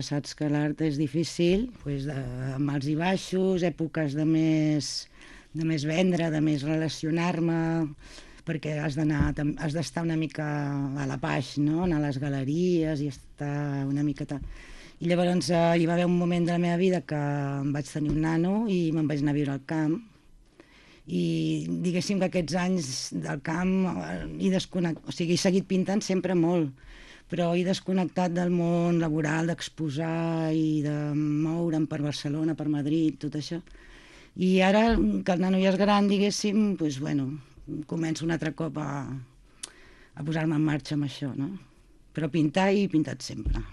Saps que l'art és difícil, doncs, amb alts i baixos, èpoques de més vendre, de més relacionar-me, perquè has d'estar una mica a la baix, no? Anar a les galeries i estar una miqueta... I llavors hi va haver un moment de la meva vida que em vaig tenir un nano i me'n vaig anar a viure al camp. I diguéssim que aquests anys del camp he seguit pintant sempre molt, però he desconnectat del món laboral, d'exposar i de moure'm per Barcelona, per Madrid, tot això. I ara que el nano ja és gran, diguéssim, doncs, bueno, començo un altre cop a posar-me en marxa amb això, no? Però pintar he pintat sempre.